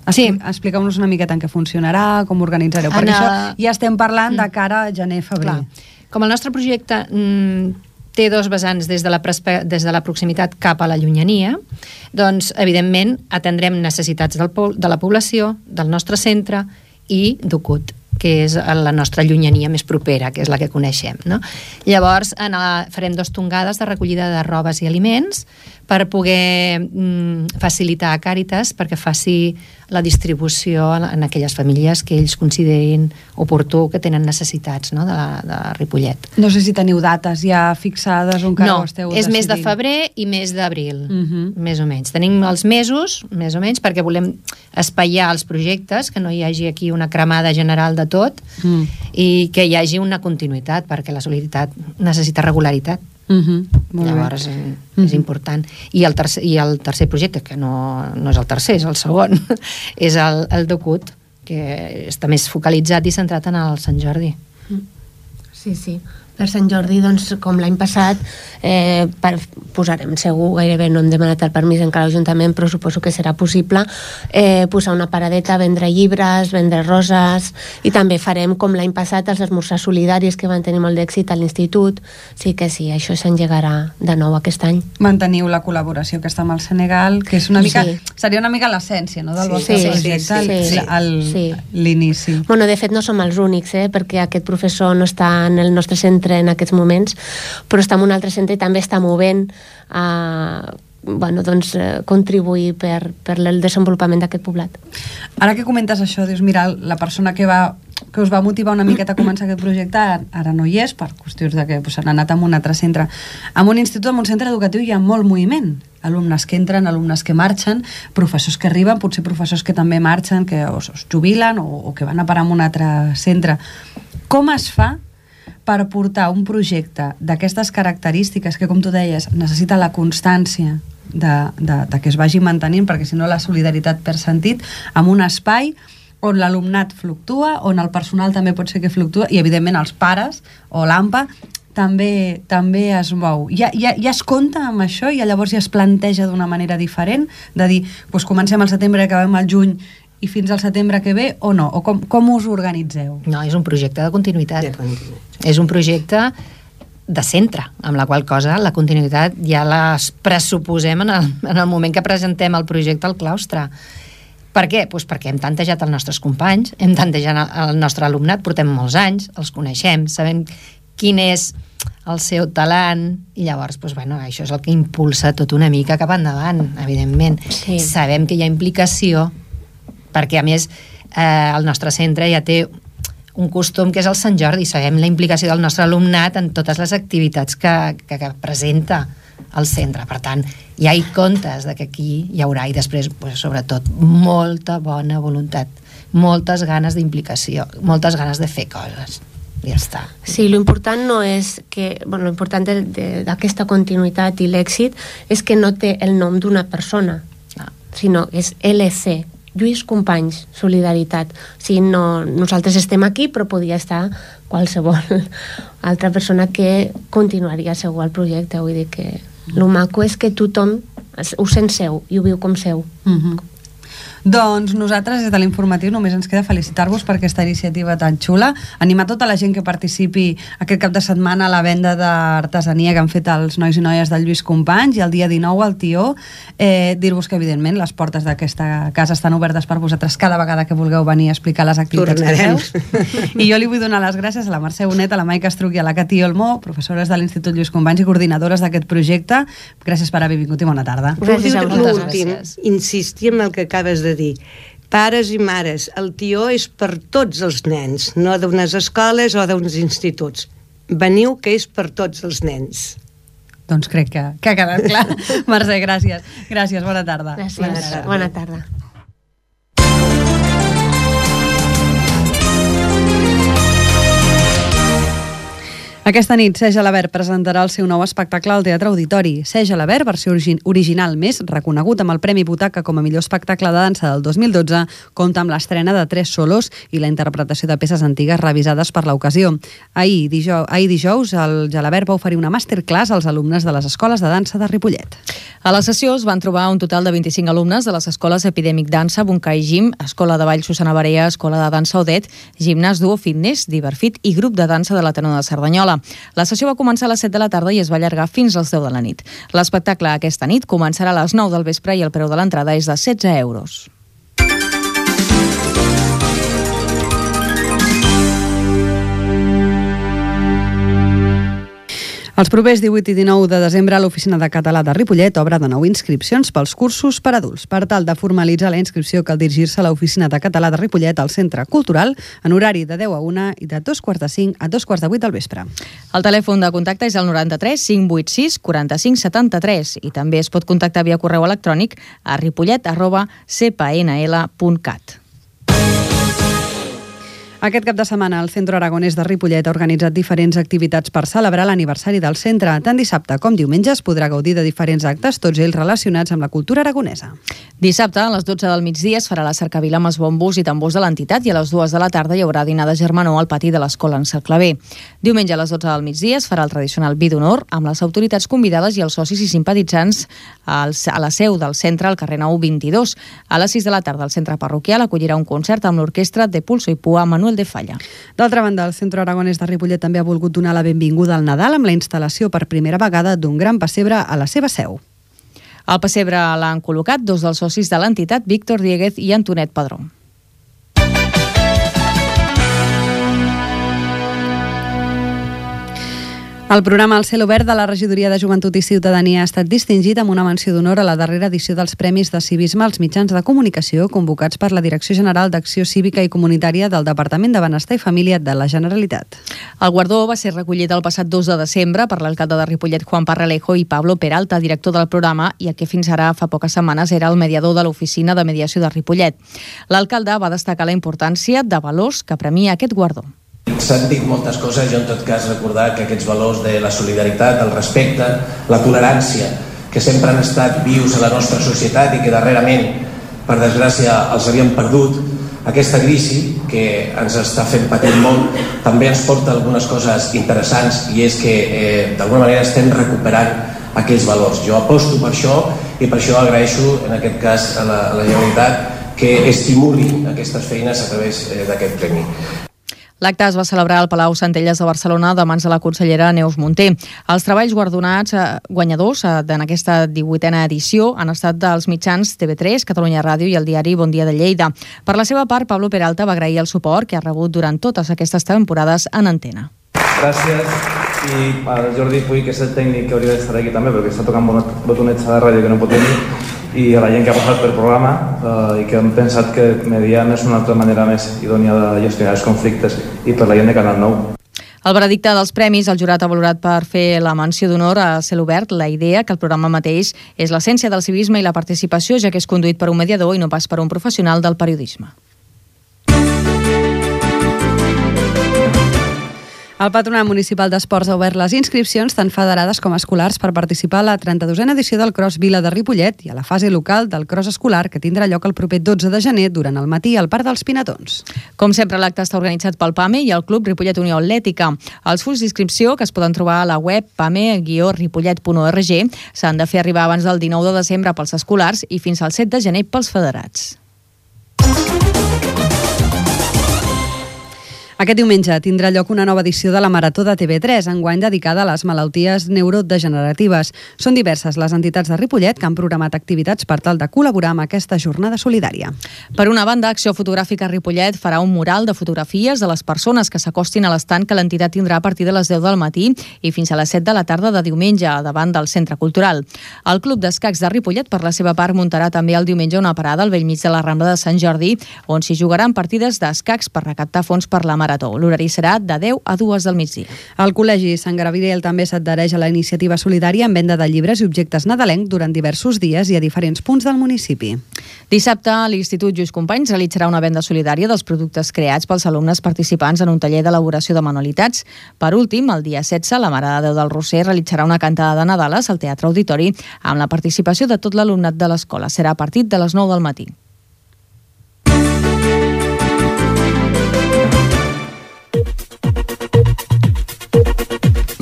Sí. Expliqueu-nos una miqueta en què funcionarà, com ho organitzareu, perquè això ja estem parlant de cara a gener-febrer. Com el nostre projecte té 2 vessants des de la proximitat cap a la llunyania, doncs, evidentment, atendrem necessitats de la població, del nostre centre i d'UCUT. que és la nostra llunyania més propera, que és la que coneixem, no? Llavors farem 2 tongades de recollida de robes i aliments per poder facilitar a Càritas perquè faci la distribució en aquelles famílies que ells considerin oportú, que tenen necessitats, no? de Ripollet. No sé si teniu dates ja fixades o encara ho esteu decidint. És mes de febrer i mes d'abril, més o menys. Tenim els mesos, més o menys, perquè volem espaiar els projectes, que no hi hagi aquí una cremada general de tot i que hi hagi una continuïtat, perquè la solidaritat necessita regularitat. Llavors és important. I el tercer projecte, que no és el tercer, és el segon, és el DOCUT, que està més focalitzat i centrat en el Sant Jordi. Sí. Per Sant Jordi, doncs, com l'any passat, posarem segur, gairebé no hem demanat el permís encara a l'Ajuntament, però suposo que serà possible posar una paradeta, vendre llibres, vendre roses, i també farem, com l'any passat, els esmorzars solidaris que van tenir molt d'èxit a l'institut. Sí que sí, això s'engegarà de nou aquest any. Manteniu la col·laboració que està amb el Senegal, que és una mica, seria una mica l'essència, no?, del vostre projecte, l'inici. Bueno, de fet no som els únics, perquè aquest professor no està en el nostre centre en aquests moments, però està en un altre centre i també està movent a contribuir per el desenvolupament d'aquest poblat. Ara que comentes això, dius, mira, la persona que us va motivar una miqueta a començar aquest projecte ara no hi és, per qüestions de que s'han anat a un altre centre. En un institut, en un centre educatiu hi ha molt moviment, alumnes que entren, alumnes que marxen, professors que arriben, potser professors que també marxen, que es jubilen o que van a parar en un altre centre. Com es fa per portar un projecte d'aquestes característiques que, com tu deies, necessita la constància de que es vagi mantenint, perquè si no la solidaritat perd sentit, en un espai on l'alumnat fluctua, on el personal també pot ser que fluctua, i evidentment els pares o l'AMPA també es mou. Ja es compta amb això i llavors ja es planteja d'una manera diferent, de dir, doncs comencem al setembre i acabem al juny i fins al setembre que ve, o no? O com us organitzeu? No, és un projecte de continuïtat. És un projecte de centre, amb la qual cosa la continuïtat ja les pressuposem en el moment que presentem el projecte al claustre. Per què? Doncs perquè hem tantejat els nostres companys, hem tantejat el nostre alumnat, portem molts anys, els coneixem, sabem quin és el seu talent, i llavors això és el que impulsa tot una mica cap endavant, evidentment. Sabem que hi ha implicació, perquè a més el nostre centre ja té un costum que és el Sant Jordi, sabem la implicació del nostre alumnat en totes les activitats que presenta el centre. Per tant, ja hi comptes que aquí hi haurà, i després, sobretot, molta bona voluntat, moltes ganes d'implicació, moltes ganes de fer coses. Ja està. Sí, l'important no és que... l'important d'aquesta continuïtat i l'èxit és que no té el nom d'una persona, sinó és LC, Lluís Companys, Solidaritat. Nosaltres estem aquí, però podria estar qualsevol altra persona que continuaria segur el projecte. Vull dir que el maco és que tothom ho sent seu i ho viu com seu. Doncs nosaltres des de l'informatiu només ens queda felicitar-vos per aquesta iniciativa tan xula, animar tota la gent que participi aquest cap de setmana a la venda d'artesania que han fet els nois i noies del Lluís Companys, i el dia 19 al Tió, dir-vos que evidentment les portes d'aquesta casa estan obertes per vosaltres cada vegada que vulgueu venir a explicar les activitats que feu. I jo li vull donar les gràcies a la Mercè Bonet, a la Maica Estruc i a la Cati Olmó, professores de l'Institut Lluís Companys i coordinadores d'aquest projecte. Gràcies per haver vingut i bona tarda. Gràcies a vosaltres. L'últim, insistir en el que acabes de dir. Pares i mares, el Tió és per tots els nens, no d'unes escoles o d'uns instituts. Veniu, que és per tots els nens. Doncs crec que ha quedat clar. Mercè, gràcies. Gràcies, bona tarda. Gràcies, bona tarda. Aquesta nit, Serge Alabert presentarà el seu nou espectacle al Teatre Auditori. Serge Alabert, versió original més, reconegut amb el Premi Butaca com a millor espectacle de dansa del 2012, compta amb l'estrena de 3 solos i la interpretació de peces antigues revisades per l'ocasió. Ahir dijous, el Gelabert va oferir una masterclass als alumnes de les escoles de dansa de Ripollet. A la sessió es van trobar un total de 25 alumnes de les escoles Epidèmic Dansa, Bunkai Gym, Escola de Ball Susana Barea, Escola de Dansa Odet, Gimnàs Duo Fitness, Diverfit i Grup de Dansa de l'Ateneu de Cerdanyola. La sessió va començar a les 7 de la tarda i es va allargar fins als 10 de la nit. L'espectacle aquesta nit començarà a les 9 del vespre i el preu de l'entrada és de 16 euros. Els propers 18 i 19 de desembre l'Oficina de Català de Ripollet obre de nou inscripcions pels cursos per adults. Per tal de formalitzar la inscripció cal dirigir-se a l'Oficina de Català de Ripollet al Centre Cultural en horari de 10 a 1 i de 2:45 a 2:45 del vespre. El telèfon de contacte és el 93 586 45 73 i també es pot contactar via correu electrònic a ripollet@cpnl.cat. Aquest cap de setmana el Centre Aragonès de Ripollet ha organitzat diferents activitats per celebrar l'aniversari del centre. Tant dissabte com diumenge es podrà gaudir de diferents actes, tots ells relacionats amb la cultura aragonesa. Dissabte, a les 12 del migdia, es farà la cercavila amb els bombos i tambors de l'entitat i a les 2 de la tarda hi haurà dinar de germanor al pati de l'escola en Cercle B. Diumenge a les 12 del migdia es farà el tradicional vi d'honor amb les autoritats convidades i els socis i simpatitzants a la seu del centre al carrer Nou 22. A les 6 de la tarda el centre parroquial acollirà un concert amb l'orquestra de Pulso i Pua Manuel de Falla. D'altra banda, el Centre Aragonès de Ripollet també ha volgut donar la benvinguda al Nadal amb la instal·lació per primera vegada d'un gran pessebre a la seva seu. Al pessebre l'han col·locat dos dels socis de l'entitat, Víctor Dieguez i Antonet Padró. El programa El Cel Obert de la Regidoria de Joventut i Ciutadania ha estat distingit amb una menció d'honor a la darrera edició dels Premis de Civisme als mitjans de comunicació convocats per la Direcció General d'Acció Cívica i Comunitària del Departament de Benestar i Família de la Generalitat. El guardó va ser recollit el passat 2 de desembre per l'alcalde de Ripollet, Juan Parralejo, i Pablo Peralta, director del programa, i que fins ara, fa poques setmanes, era el mediador de l'Oficina de Mediació de Ripollet. L'alcalde va destacar la importància de valors que premia aquest guardó. S'han dit moltes coses, jo en tot cas recordar que aquests valors de la solidaritat, el respecte, la tolerància, que sempre han estat vius a la nostra societat i que darrerament, per desgràcia, els havíem perdut, aquesta crisi que ens està fent patir molt també ens porta algunes coses interessants i és que d'alguna manera estem recuperant aquells valors. Jo aposto per això i per això agraeixo en aquest cas a la Generalitat que estimuli aquestes feines a través d'aquest premi. L'acte es va celebrar al Palau Centelles de Barcelona de mans de la consellera Neus Munté. Els treballs guanyadors en aquesta 18a edició han estat dels mitjans TV3, Catalunya Ràdio i el diari Bon Dia de Lleida. Per la seva part, Pablo Peralta va agrair el suport que ha rebut durant totes aquestes temporades en antena. Gràcies. I al Jordi Puig, que és el tècnic que hauria d'estar aquí també, perquè està tocant botonets a la ràdio que no pot venir, i a la gent que ha passat pel programa i que han pensat que mediant és una altra manera més idònia de gestionar els conflictes, i per la gent de Canal 9. El veredicte dels premis, el jurat ha valorat per fer la menció d'honor a Cel Obert la idea que el programa mateix és l'essència del civisme i la participació, ja que és conduït per un mediador i no pas per un professional del periodisme. El Patronat Municipal d'Esports ha obert les inscripcions tant federades com escolars per participar a la 32a edició del Cross Vila de Ripollet i a la fase local del Cross Escolar que tindrà lloc el proper 12 de gener durant el matí al Parc dels Pinatons. Com sempre, l'acte està organitzat pel PAME i el Club Ripollet Unió Atlètica. Els fulls d'inscripció, que es poden trobar a la web pame-ripollet.org, s'han de fer arribar abans del 19 de desembre pels escolars i fins al 7 de gener pels federats. Aquest diumenge tindrà lloc una nova edició de la Marató de TV3, enguany dedicada a les malalties neurodegeneratives. Són diverses les entitats de Ripollet que han programat activitats per tal de col·laborar amb aquesta jornada solidària. Per una banda, Acció Fotogràfica Ripollet farà un mural de fotografies de les persones que s'acostin a l'estand que l'entitat tindrà a partir de les 10 del matí i fins a les 7 de la tarda de diumenge davant del Centre Cultural. El Club d'Escacs de Ripollet, per la seva part, muntarà també el diumenge una parada al bell mig de la Rambla de Sant Jordi, on s'hi jugaran partides d'escacs per recaptar fons per la Marató. L'horari serà de 10 a 2 del migdia. El Col·legi Sant Gabriel també s'adhereix a la iniciativa solidària amb venda de llibres i objectes nadalencs durant diversos dies i a diferents punts del municipi. Dissabte, l'Institut Lluís Companys realitzarà una venda solidària dels productes creats pels alumnes participants en un taller d'elaboració de manualitats. Per últim, el dia 16, la Mare de Déu del Roser realitzarà una cantada de Nadales al Teatre Auditori amb la participació de tot l'alumnat de l'escola. Serà a partir de les 9 del matí.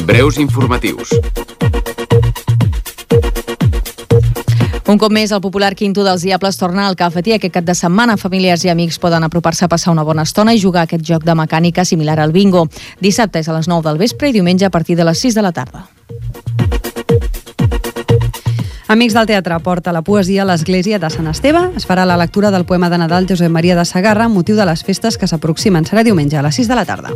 Breus informatius. Un cop més, el popular Quinto dels Diables torna al cafetí. Aquest cap de setmana, familiars i amics poden apropar-se a passar una bona estona i jugar a aquest joc de mecànica similar al bingo. Dissabte és a les 9 del vespre i diumenge a partir de les 6 de la tarda. Amics del Teatre porta la poesia a l'església de Sant Esteve. Es farà la lectura del poema de Nadal Josep Maria de Sagarra amb motiu de les festes que s'aproximen. Serà diumenge a les 6 de la tarda.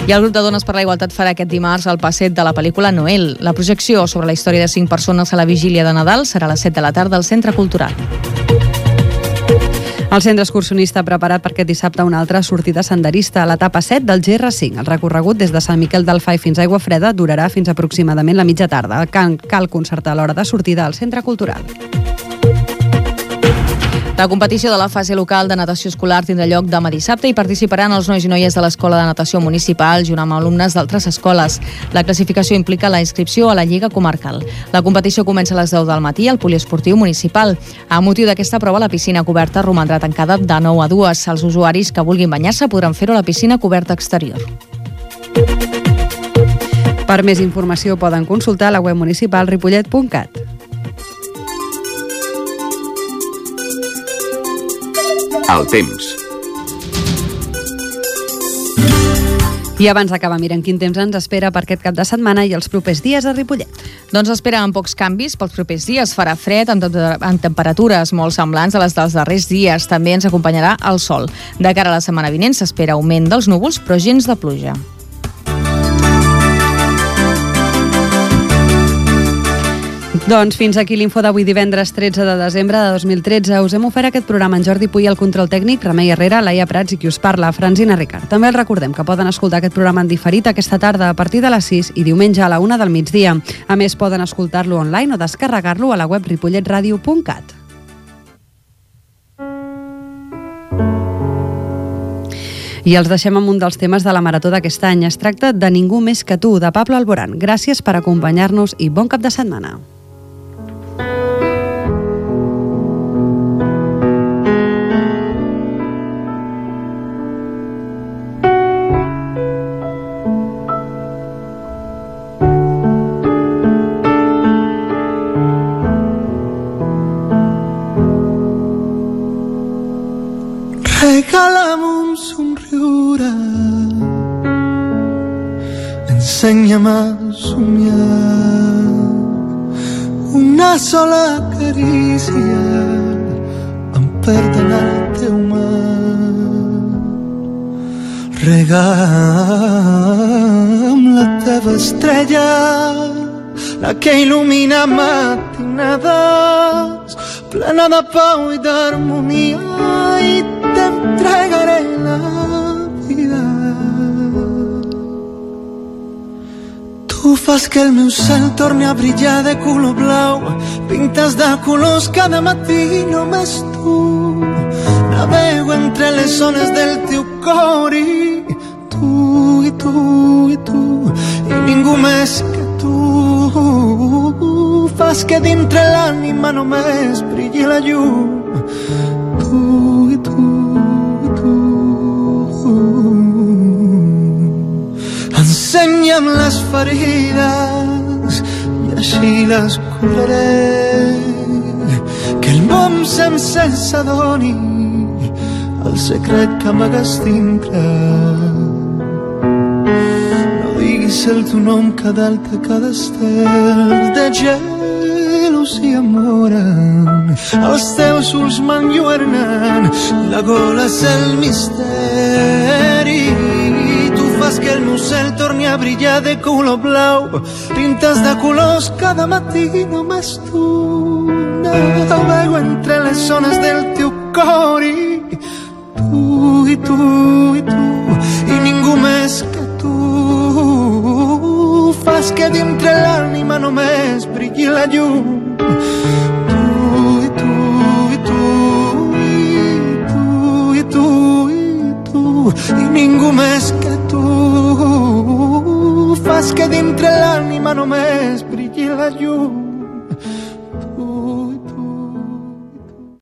I el grup de Dones per la Igualtat farà aquest dimarts el passeig de la pel·lícula Noel. La projecció sobre la història de 5 persones a la vigília de Nadal serà a les 7 de la tarda al Centre Cultural. El centre excursionista ha preparat per aquest dissabte una altra sortida senderista a l'etapa 7 del GR5. El recorregut des de Sant Miquel del Fai fins a Aiguafreda durarà fins aproximadament la mitja tarda. Cal concertar l'hora de sortida al Centre Cultural. La competició de la fase local de natació escolar tindrà lloc demà dissabte i participaran els nois i noies de l'Escola de Natació Municipal junt amb alumnes d'altres escoles. La classificació implica la inscripció a la Lliga Comarcal. La competició comença a les 10 del matí al Poliesportiu Municipal. A motiu d'aquesta prova, la piscina coberta romandrà tancada de 9 a 2. Els usuaris que vulguin banyar-se podran fer-ho a la piscina coberta exterior. Per més informació poden consultar la web municipal ripollet.cat. El temps. I abans d'acabar, mirem quin temps ens espera per aquest cap de setmana i els propers dies a Ripollet. Doncs esperen pocs canvis pels propers dies. Farà fred amb temperatures molt semblants a les dels darrers dies. També ens acompanyarà el sol. De cara a la setmana vinent s'espera augment dels núvols, però gens de pluja. Doncs fins aquí l'info d'avui divendres 13 de desembre de 2013. Us hem ofert aquest programa en Jordi Puy, el control tècnic, Remei Herrera, Laia Prats i qui us parla, Francina Ricard. També els recordem que poden escoltar aquest programa en diferit aquesta tarda a partir de les 6 i diumenge a la 1 del migdia. A més, poden escoltar-lo online o descarregar-lo a la web ripolletradio.cat. I els deixem amb un dels temes de la marató d'aquest any. Es tracta de Ningú més que tu, de Pablo Alborán. Gràcies per acompanyar-nos i bon cap de setmana. Regala'm un somriure, ensenya'm a somiar, una sola carícia em perd en el teu mar. Regala'm la teva estrella, la que il·lumina matinades, plena de pau i d'harmonia, i t'entregaré la vida. Tu fas que el meu cel torni a brillar de color blau, pintes de colors cada matí, només tu. Navego entre les ones del teu cor i tu, i tu, i tu, i ningú més que tu. Fas que dintre l'ànima només brilli la llum. Tu, i tu, i tu. Ensenya'm les ferides i així les curaré, que el món sencer s'adoni el secret que amagues dintre. No diguis el teu nom cada alta, cada estel de gelosia moren, els teus ulls m'enlluernen, la gola és el misteri. Tu fas que el meu cel torni a brillar de color blau, pintes de colors cada matí, només tu. Navego entre les ones del teu cor i tu, i tu, i tu, i ningú més que tu. Fas que dintre l'ànima només brilli la llum. Tu, i tu, i tu, i tu, i tu, i tu, i ningú més que tu. Fas que dintre l'ànima només brilli la llum.